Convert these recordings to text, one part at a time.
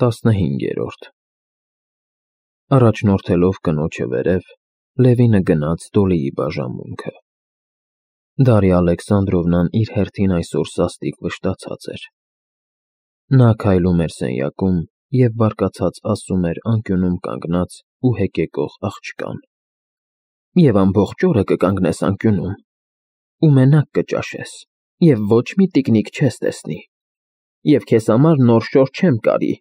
15-րդ Առաջնորդելով կնոջը վերև, Լևինը գնաց Դոլիի բաժանմունքը։ Դարիա Ալեքսանդրովնան իր հերթին այսօր սաստիկ վշտացած էր։ Նա քայլում էր սենյակում և բարկացած ասում էր անկյունում կանգնած ու հեկեկող աղջկան. «Եվ ամբողջ օրը կկանգնես անկյունում, ու մենակ կճաշես, և ոչ մի տիկնիկ չես տեսնի, և քեզ համար նոր շոր չեմ կարի»,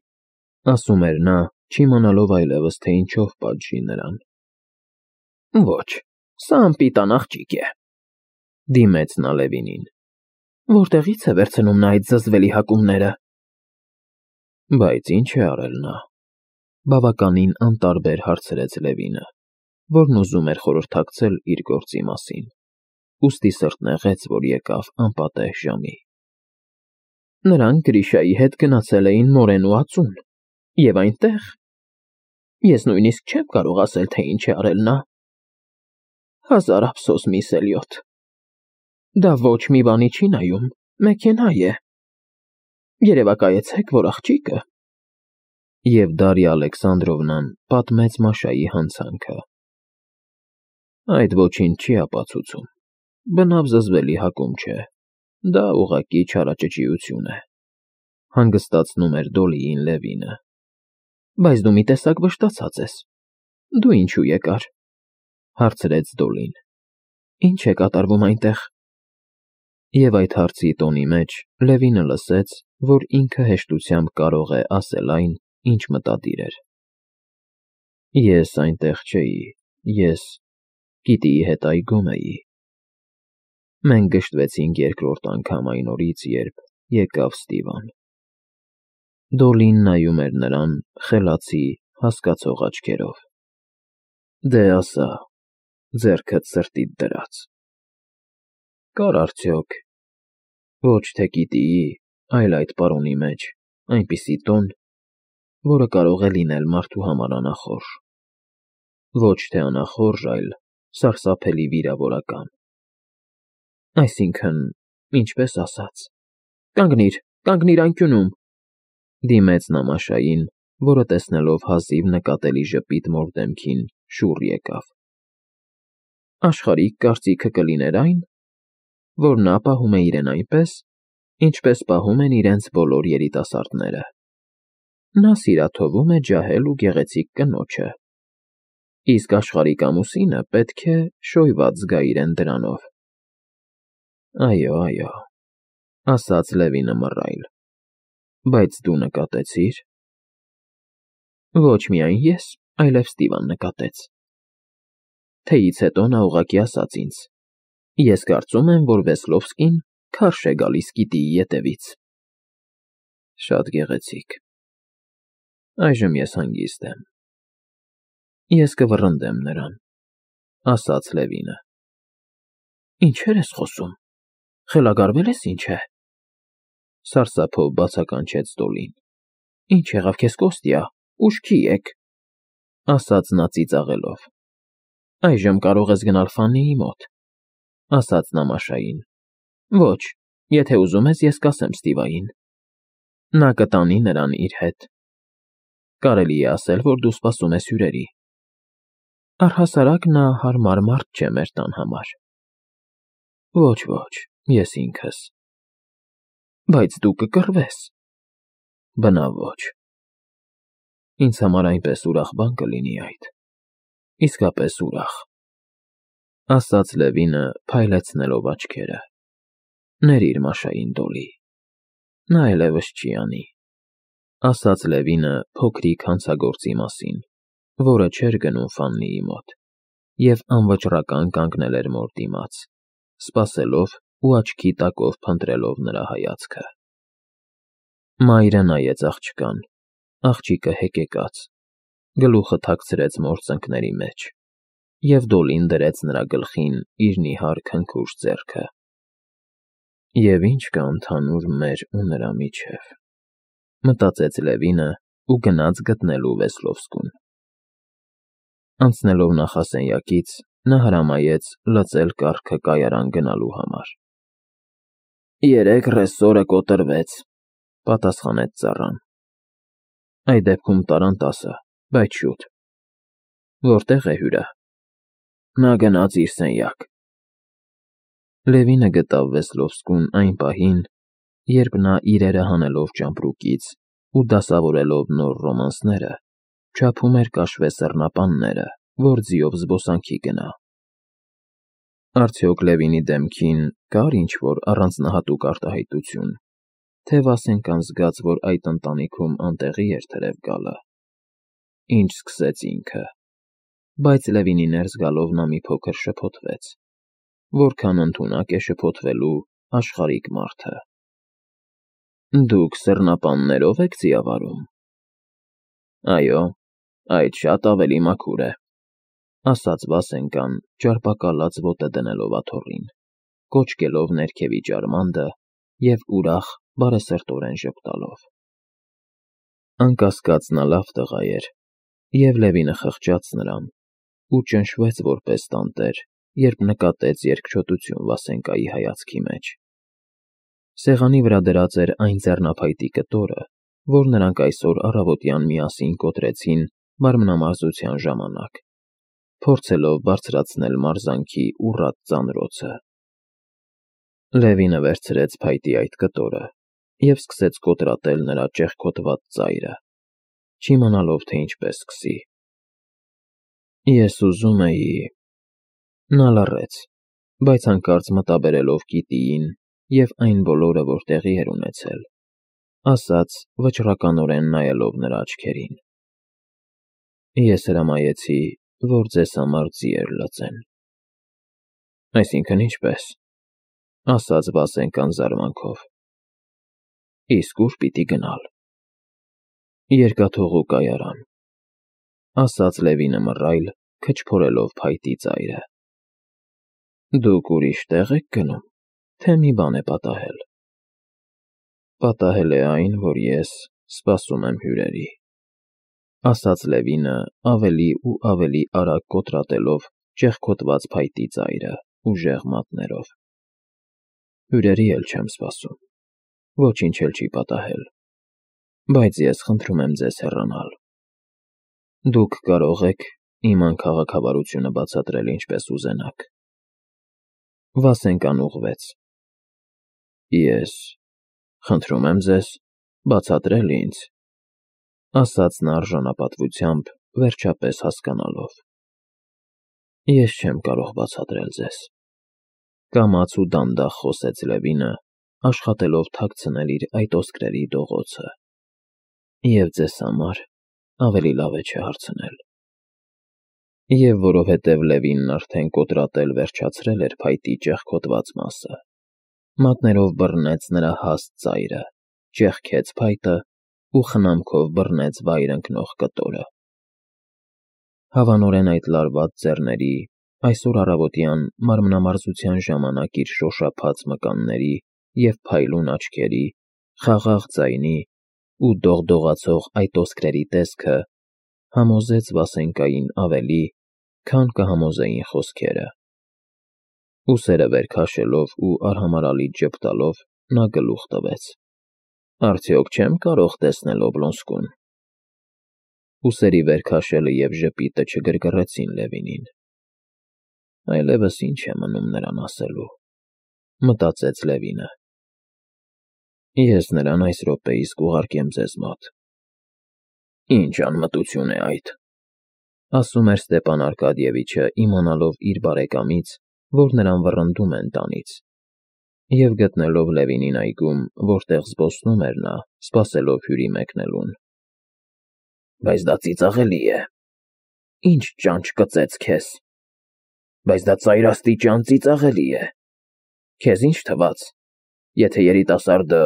ասում էր նա, չիմանալով այլևս, թե ինչով պատժի նրան։ «Ոչ, սա անպիտան աղջիկ է», դիմեց նա Լևինին։ «Որտեղի՞ց է վերցնում նա այդ զզվելի հակումները»։ Բայց ինչ է արել նա, բավականին անտարբեր հարցրեց Լևինը, որն ուզում էր խորհրդակցել իր գործի մասին, ուստի սրտնեղեց, որ եկավ անպատեհ ժամի։ Նրանք Գրիշայի հետ գնացել էին Մորենու ածուն, և այնտեղ… Ես նույնիսկ չեմ կարող ասել, թե ինչ է արել նա։ Հազար ափսոս, միս Էլիոտ, դա ոչ մի բանի չի նայում, մեքենա է։ Երևակայեցեք, որ աղջիկը… Եվ Դարիա Ալեքսանդրովնան պատմեց Մաշայի հանցանքը։ Այդ ոչինչ չի ապացուցում, բնավ զզվելի հակում չէ, դա ուղղակի չարաճճիություն է, հանգստացնում էր Դոլիին Լևինը։ Բայց դու մի տեսակ վշտացած ես, դու ինչու եկար, հարցրեց Դոլին։ Ինչ է կատարվում այնտեղ։ Եվ այդ հարցի տոնի մեջ Լևինը լսեց, որ ինքը հեշտությամբ կարող է ասել այն, ինչ մտադիր էր։ Ես այնտեղ չէի, ես Կիտիի հետ այգում էի։ Մենք գժտվեցինք երկրորդ անգամ այն օրից, երբ եկավ Ստիվան։ Դոլին նայում էր նրան խելացի, հասկացող աչքերով։ Դե ասա, ձեռքդ սրտիդ դրած։ Կար արդյոք ոչ թե Կիտիի, այլ այդ պարոնի մեջ այնպիսի տոն, որը կարող է լինել մարդու համար անախորժ։ Ոչ թե անախորժ, այլ սարսափելի վիրավորական։ Այսինքն, ինչպես ասած, կանգնիր անկյունում, դիմեց նա Մաշային, որը տեսնելով հազիվ նկատելի ժպիտ մոր դեմքին, շուռ եկավ։ Աշխարհիկ կարծիքը կլիներ այն, որ նա պահում է իրեն այնպես, ինչպես պահում են իրենց բոլոր երիտասարդները։ Նա սիրաթովում է ջահել ու գեղեցիկ կնոջը, իսկ աշխարհիկ ամուսինը պետք է շոյված զգա իրեն դրանով։ Այո, ասաց Լևինը մռայլ, բայց դու նկատեցի՞ր։ Ոչ միայն ես, այլև Ստիվան նկատեց։ Թեյից հետո նա ուղղակի ասաց ինձ. ես կարծում եմ, որ Վեսլովսկին քարշ է գալիս Կիտիի ետևից։ Շատ գեղեցիկ։ Այժմ ես հանգիստ եմ։ Ես կվռնդեմ նրան, ասաց Լևինը։ Ինչեր ես խոսում, խելագարվել ես ինչ է։ Սարսափով բացականչեց Դոլին։ Ինչ եղավ քեզ, Կոստյա, ուշքի եկ, ասաց նա ծիծաղելով։ Այժմ կարող ես գնալ Ֆաննիի մոտ, ասաց նա Մաշային։ Ոչ, եթե ուզում ես, ես կասեմ Ստիվային։ Նա կտանի նրան իր հետ։ Կարելի է ասել, որ դու սպասում ես հյուրերի։ Առհասարակ նա հարմար մարդ չէ մեր տան համար։ Ոչ, ես ինքս։ Բայց դու կկռվես։ Բնավ ոչ։ Ինձ համար այնպես ուրախ բան կլինի այդ։ Իսկապես ուրախ, ասաց Լևինը, փայլեցնելով աչքերը։ Ներիր Մաշային, Դոլի։ Նա այլևս չի անի, ասաց Լևինը փոքրիկ հանցագործի մասին, որը չէր գնում Ֆաննիի մոտ, և անվճռական կանգնել էր մոր դիմաց, սպասելով ու աչքի տակով փնտրելով նրա հայացքը։ Մայրը նայեց աղջկան, աղջիկը հեկեկաց, գլուխը թաքցրեց մոր ծնկների մեջ, և Դոլին դրեց նրա գլխին իր նիհար քնքուշ ձեռքը։ Եվ ինչ կա ընդհանուր մեր ու նրա միջև, մտածեց Լևինը ու գնաց գտնելու Վեսլովսկուն։ Անցնելով նախասենյակից, նա հրամայեց լծել կառքը կայարան գնալու համար։ Երեկ ռեսորը կոտրվեց, պատասխանեց ծառան։ Այդ դեպքում տարան 10, բայց շուտ։ Որտե՞ղ է հյուրը։ Նա գնաց իր սենյակ։ Լևինը գտավ Վեսլովսկուն այն պահին, երբ նա իրերը հանելով ճամպրուկից ու դասավորելով նոր ռոմանսները, չափում էր կաշվե սեռնապանները, որ ձիով զբոսանքի գնա։ Արդյոք Լևինի դեմքին կար ինչ-որ առանձնահատուկ արտահայտություն, թե Վասենկան զգաց, որ այդ ընտանիքում անտեղի էր թրև գալը։ Ինչ սկսեց ինքը, բայց Լևինի ներս գալով նա մի փոքր շփոթվեց, որքան ընդունակ է շփոթվելու աշխարհիկ մարդը։ Դուք սեռնապաններով եք ձիավարում։ Այո, այդ շատ ավելի մաքուր է, ասաց Վասենկան, ճարպակալած ոտը դնելով աթոռին, կոչկելով ներքևի ջարմանդը և ուրախ բարեսրտորեն ժպտալով։ Անկասկած նա լավ տղա էր, և Լևինը խղճաց նրան ու ճնշվեց որպես տանտեր, երբ նկատեց երկչոտություն Վասենկայի հայացքի մեջ։ Սեղանի վրա դրած էր այն ձեռնափայտի կտորը, որ նրանք այսօր առավոտյան միասին կոտրեցին մարմնամարզության ժամանակ, փորձելով բարձրացնել մարզանքի ուռատ ծանրոցը։ Լևինը վերցրեց փայտի այդ կտորը և սկսեց կոտրատել նրա ճեղքոտված ծայրը, չիմանալով, թե ինչպես սկսի։ Ես ուզում էի… Նա լռեց, բայց հանկարծ մտաբերելով Կիտիին և այն բոլորը, որ տեղի էր ունեցել, ասաց, վճռականորեն նայելով նրա աչքերին. Ես հրամայեցի, որ ձեզ համար ձիեր լծեն։ Այսինքն ինչպես, ասաց Վասենկան զարմանքով։ Իսկ ուր պիտի գնալ։ Երկաթուղու կայարան, ասաց Լևինը մռայլ, քչփորելով փայտի ծայրը։ Դուք ուրիշ տեղ եք գնում, թե մի բան է պատահել։ Պատահել է այն, որ ես սպասում եմ հյուրերի, ասաց Լևինը ավելի ու ավելի արագ կոտրատելով ճեղքոտված փայտի ծայրը ուժեղ մատներով։ Հյուրերի էլ չեմ սպասում, ոչինչ էլ չի պատահել, բայց ես խնդրում եմ ձեզ հեռանալ։ Դուք կարող եք իմ անքաղաքավարությունը բացատրել ինչպես ուզենաք։ Վասենկան ուղղվեց։ Ես խնդրում եմ ձեզ բացատրել ինձ, ասաց նա արժանապատվությամբ, վերջապես հասկանալով։ Ես չեմ կարող բացատրել ձեզ, կամաց ու դանդաղ խոսեց Լևինը, աշխատելով թաքցնել իր այդ ոսկրերի դողոցը։ Եվ ձեզ համար ավելի լավ է չհարցնել։ Եվ որովհետև Լևինն արդեն կոտրատել վերջացրել էր փայտի ճեղքոտված մասը, մատներով բռնեց նրա հաստ ծայրը, ճեղքեց փայտը ու խնամքով բռնեց վայր ընկնող կտորը։ Հավանորեն այդ լարված ձեռների, այսօր առավոտյան մարմնամարզության ժամանակ իր շոշափած մկանների և փայլուն աչքերի, խաղաղ ձայնի ու դողդողացող այդ ոսկրերի տեսքը համոզեց Վասենկային ավելի, քան կհամոզեին խոսքերը։ Ուսերը վեր քաշելով ու արհամարհալի ժպտալով նա գլուխ տվեց. Արդյոք չեմ կարող տեսնել Օբլոնսկուն։ Ուսերի վեր քաշելը և ժպիտը չգրգռեցին Լևինին։ Այլևս ինչ է մնում նրան ասելու, մտածեց Լևինը։ Ես նրան այս րոպեիս կուղարկեմ ձեզ մոտ։ Ինչ անմտություն է այդ, ասում էր Ստեպան Արկադիևիչը, իմանալով իր բարեկամից, որ նրան վռնդում են տանից, և գտնելով Լևինին այգում, որտեղ զբոսնում էր նա, սպասելով հյուրի մեկնելուն։ Բայց դա ծիծաղելի է։ Ինչ ճանճ կծեց քեզ։ Բայց դա ծայրաստիճան ծիծաղելի է։ Քեզ ինչ թվաց, եթե երիտասարդը…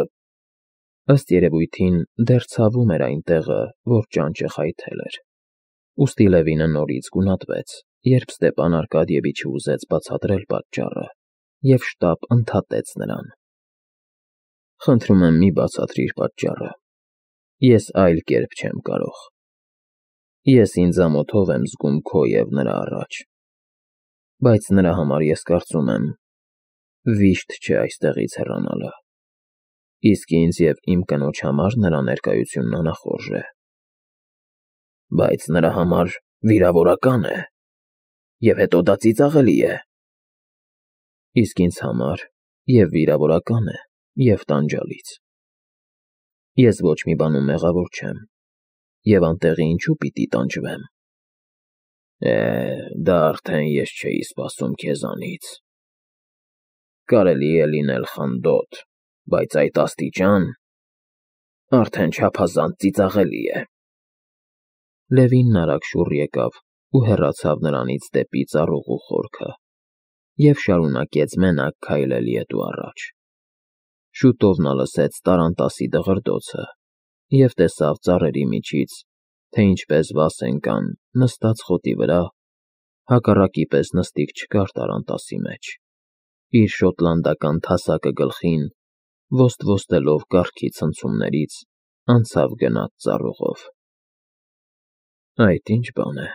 Ըստ երևույթին դեռ ցավում էր այն տեղը, որ ճանճը խայթել էր։ Ուստի Լևինը նորից գունատվեց, երբ Ստեպան Արկադիևիչը ուզեց բացատրել պատճառը և շտապ ընդհատեց նրան. Խնդրում եմ մի բացատրիր պատճառը։ Ես այլ կերպ չեմ կարող։ Ես ինձ ամոթով եմ զգում քո և նրա առաջ, բայց նրա համար ես կարծում եմ, վիշտ չէ այստեղից հեռանալը։ Իսկ ինձ և իմ կնոջ համար նրա ներկայությունն անախորժ է։ Բայց նրա համար վիրավորական է, և հետո դա ծիծաղելի է։ Իսկ ինձ համար և վիրավորական է, և տանջալից։ Ես ոչ մի բանում մեղավոր չեմ, և անտեղի ինչու պիտի տանջվեմ։ Դա արդեն ես չէի սպասում քեզանից։ Կարելի է լինել խնդոտ, բայց այդ աստիճան… Արդեն չափազանց ծիծաղելի է։ Լևինն արագ շուռ եկավ ու հեռացավ նրանից դեպի ծառուղու խորքը և շարունակեց մենակ քայլել ետ ու առաջ։ Շուտով նա լսեց տառանտասի դղրդոցը և տեսավ ծառերի միջից, թե ինչպես վաս ընկան նստած խոտի վրա, հակառակի պես նստիկ չկար տառանտասի մեջ, իր շոտլանդական թասակը գլխին, ոստ-ոստելով կառքի ցնցումներից, անցավ գնաց ծառուղով։ Այդ ի՞նչ բան է,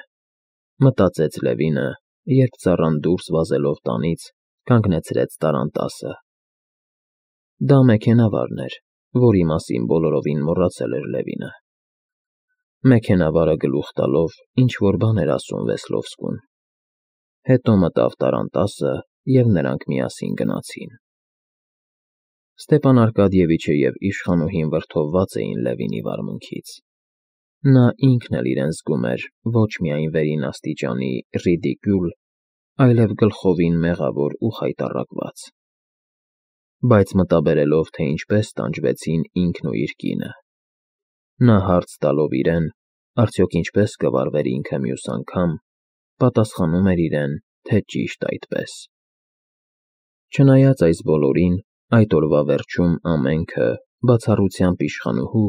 մտածեց Լևինը, երբ ծառան դուրս վազելով տանից կանգնեցրեց տառանտասը։ Դա մեքենավարն էր, որի մասին բոլորովին մոռացել էր Լևինը։ Մեքենավարը գլուխ տալով ինչ-որ բան էր ասում Վեսլովսկուն։ Հետո մտավ տառանտասը, և նրանք միասին գնացին։ Ստեպան Արկադիևիչը և իշխանուհին վրդովված էին Լևինի վարմունքից։ Նա ինքն էլ իրեն զգում էր ոչ միայն վերին աստիճանի ռիդիկյուլ, այլև գլխովին մեղավոր ու խայտառակված։ Բայց մտաբերելով, թե ինչպես տանջվեցին ինքն ու իր կինը, նա հարց տալով իրեն, արդյոք ինչպես կվարվեր ինքը մյուս անգամ, պատասխանում էր իրեն, թե ճիշտ այդպես։ Չնայած այս բոլորին, այդ օրվա վերջում ամենքը, բացառությամբ իշխանուհու,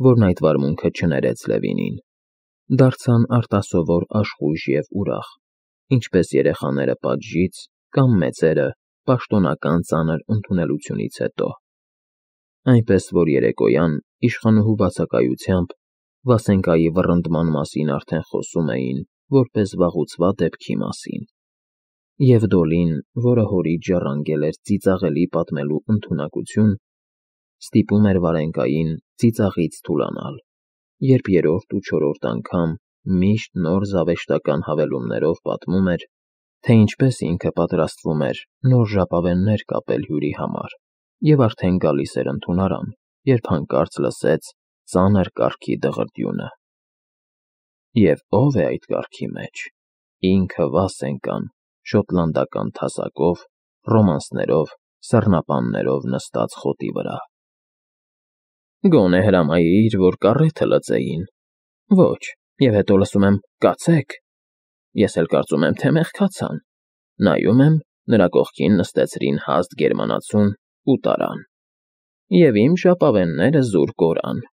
որն այդ վարմունքը չներեց Լևինին, դարձան արտասովոր աշխույժ և ուրախ, ինչպես երեխաները պատժից կամ մեծերը պաշտոնական ծանր ընդունելությունից հետո։ Այնպես որ երեկոյան իշխանուհու բացակայությամբ Վասենկայի վռնդման մասին արդեն խոսում էին որպես վաղուցվա դեպքի մասին, և Դոլին, որը հորից ժառանգել էր ծիծաղելի պատմելու ընդունակություն, ստիպում էր Վարենկային ծիծաղից թուլանալ, երբ երրորդ ու չորրորդ անգամ միշտ նոր զավեշտական հավելումներով պատմում էր, թե ինչպես ինքը պատրաստվում էր նոր ժապավեններ կապել հյուրի համար և արդեն գալիս էր ընդունարան, երբ հանկարծ լսեց ծանր կառքի դղրդյունը։ Եվ ո՞վ է այդ կառքի մեջ։ Ինքը Վասենկան, շոտլանդական թասակով, ռոմանսներով, սառնապաններով նստած խոտի վրա։ Գոնե հրամայիր, որ կառեթը լծեին։ Ոչ, և հետո լսում եմ՝ կացեք։ Ես էլ կարծում եմ, թե մեղքացան։ Նայում եմ, նրա կողքին նստեցրին հաստ գերմանացուն ու տարան։ Եվ իմ ժապավենները զուր կորան։